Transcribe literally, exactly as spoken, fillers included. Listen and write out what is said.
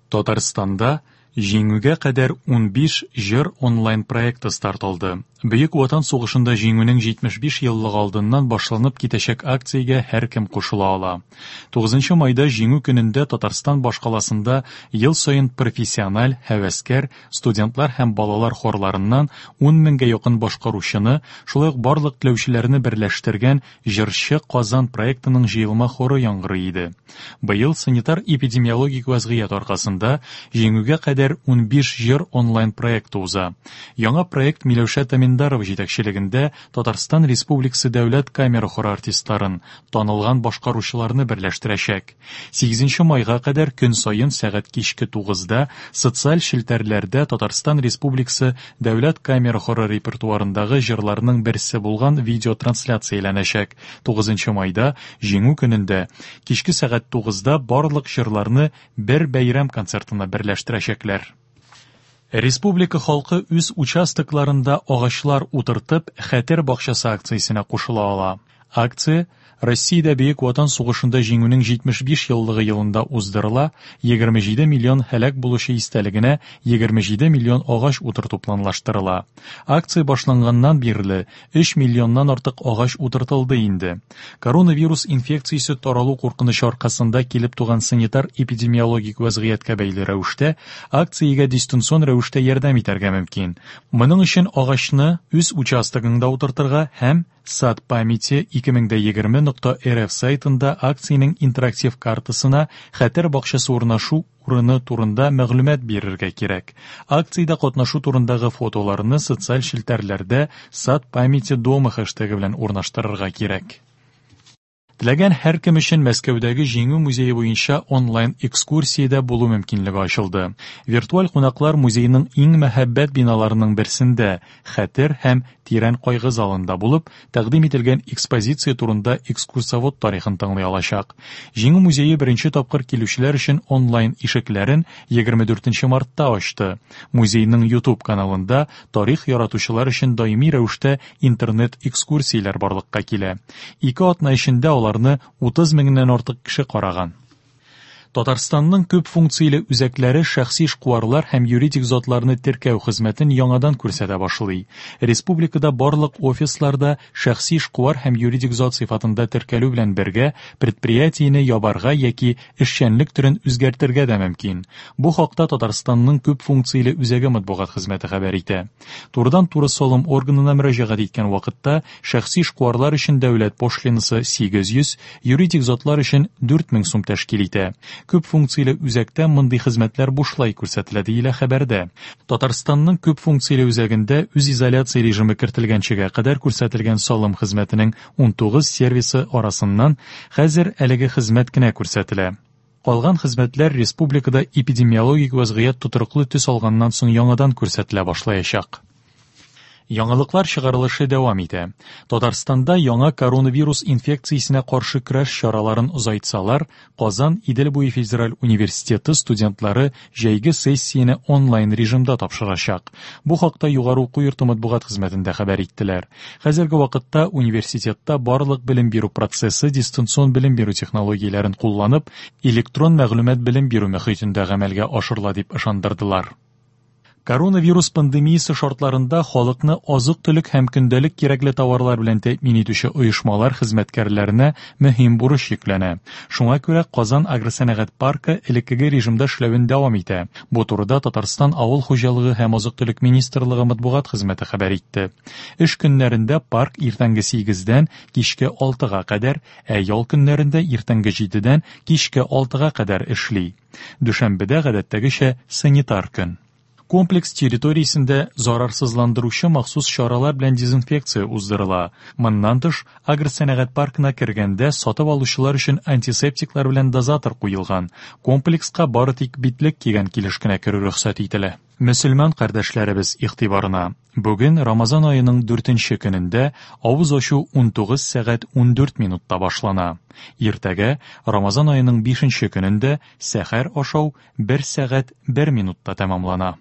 Татарстанда Җиңүгә кадәр унбиш җыр онлайн проекты старт алды. Бөек Ватан сугышында Җиңүнең җитмеш биш еллыгы алдыннан башланып китәчәк акциягә һәркем кушыла ала. Тугызынчы майда Җиңү көнендә Татарстан башкаласында ел саен профессиональ, һәвәскәр, студентлар һәм балалар хорларыннан ун меңгә якын башкаручыны, шулай ук барлык теләүчеләрне берләштергән Җырчы Казан проектының җыелма хоры яңгырый иде. Быел санитар-эпидемиологик вазгыять аркасында Җиңүгә кадәр унбиш җыр онлайн проекты уза. Яңа проект Миләүшә Таминдарова җитәкчелегендә Татарстан Республикасы дәүләт камера хоры артистларын, танылган башкаручыларны берләштерәчәк. Сигезенче майга кадәр көн саен сәгать кичке тугызда социаль челтәрләрдә Татарстан Республикасы дәүләт камера хоры репертуарындагы җырларның берсе булган видеотрансляцияләнәчәк. Тугызынчы майда Җиңү көнендә кичке сәгать тугызда барлык җырларны бер бәйрәм концертына берләштерәчәкләр. Республика халкы үз участокларында агачлар утыртып, Хәтер бакчасы акциясенә кушыла ала. Акция Россиядә Бөек Ватан сугышында Җиңүнең җитмеш биш еллыгы елында уздырыла, егерме җиде миллион һәлак булучы истәлегенә егерме җиде миллион агач утырту планлаштырыла. Акция башланганнан бирле өч миллионнан артык агач утыртылды инде. Коронавирус инфекциясе таралу куркынычы аркасында килеп туган санитар-эпидемиологик вазгыятькә бәйле рәвештә акциягә дистанцион рәвештә ярдәм итәргә мөмкин. Моның өчен агачны үз участогыңда утыртырга һәм Сад памяти ике мең дә егерме нокта эр эф сайтында акциянең интерактив картасына Хәтер бакчасы урнашу урыны турында мәгълүмат бирергә кирәк. Акциядә катнашу турындагы фотоларны социаль челтәрләрдә Сад памяти дома хэштегы белән урнаштырырга кирәк. Теләгән һәркем өчен Мәскәүдәге Җиңү музее буенча онлайн экскурсиядә булу мөмкинлеге ачылды. Виртуаль кунаклар музейның иң мәһабәт биналарының берсендә Хәтер һәм тирән кайгы залында булып, тәкъдим ителгән экспозиция турында экскурсовод тарихын тыңлый алачак. Җиңү музее беренче тапкыр килүчеләр өчен онлайн ишекләрен егерме дүртенче мартта ачты. Музейның YouTube каналында тарих яратучылар өчен даими рәвештә интернет экскурсияләр барлыкка килә. Ике атна эчендә аларны утыз меңнән артык кеше караган. Татарстанның күп функцияле үзәкләре шәхси эшкуарлар һәм юридик затларны теркәү хезмәтен яңадан күрсәтә башлый. Республикада барлык офисларда шәхси эшкуар һәм юридик зат сыйфатында теркәлү белән бергә предприятиене ябарга яки эшчәнлек төрен үзгәртергә дә мөмкин. Бу хакта Татарстанның күп функцияле үзәге матбугат хезмәте хәбәр итә. Турыдан-туры салым органына мөрәҗәгать иткән вакытта шәхси эшкуарлар өчен дәүләт пошлинасы сигез йөз, юридик затлар өчен дүрт мең сум тәшкил итә. Күп функцияле үзәктә мондый хезмәтләр бушлай күрсәтелә, диелә хәбәрдә. Татарстанның күп функцияле үзәгендә үзизоляция режимы кертелгәнчегә кадәр күрсәтелгән салым хезмәтенең унтугыз сервисы арасыннан хәзер әлеге хезмәт кенә күрсәтелә. Калган хезмәтләр республикада эпидемиологик вазгыять тотрыклы төс алганнан соң яңадан күрсәтелә башлаячак. Яңалыклар чыгарылышы дәвам итә. Татарстанда яңа коронавирус инфекциясенә каршы көрәш чараларын озайтсалар, Казан Идел буе федераль университеты студентлары җәйге сессияне онлайн режимда тапшырачак. Бу хакта югары уку йорты матбугат хезмәтендә хәбәр иттеләр. Хәзерге вакытта университетта барлык белем бирү процессы дистанцион белем бирү технологияләрен кулланып, электрон мәгълүмат белем бирү мөхитендә гамәлгә ашырыла дип ышандырдылар. Коронавирус пандемиясе шартларында халыкны азык-төлек һәм көндәлек кирәкле товарлар белән тәэмин итүче оешмалар хезмәткәрләренә мөһим бурыч йөкләнә. Шуңа күрә Казан агросәнәгать паркы элеккеге режимда эшләвен дәвам итә. Бу турыда Татарстан Авыл хуҗалыгы һәм азык-төлек министрлыгы матбугат хезмәте хәбәр итте. Эш көннәрендә парк иртәнге сигездән кичке алтыга кадәр, ә ял көннәрендә иртәнге җидедән кичке алтыга кадәр эшли. Дүшәмбедә гадәттәгечә санитар көн. Комплекс территориясендә зарарсызландыручы махсус чаралар белән дезинфекция уздырыла. Моннан тыш, агросәнәгать паркына кергәндә сатып алучылар өчен антисептиклар белән дозатор куелган. Комплекска бары тик битлек кигән килеш кенә керү рөхсәт ителә. Мөселман кардәшләребез игътибарына. Бүген Рамазан аеның дүртенче көнендә авыз ачу унтугыз сәгать ундүрт минутта башлана. Иртәгә Рамазан аеның бишенче көнендә сәхәр ашау бер сәгать бер минутта тәмамлана.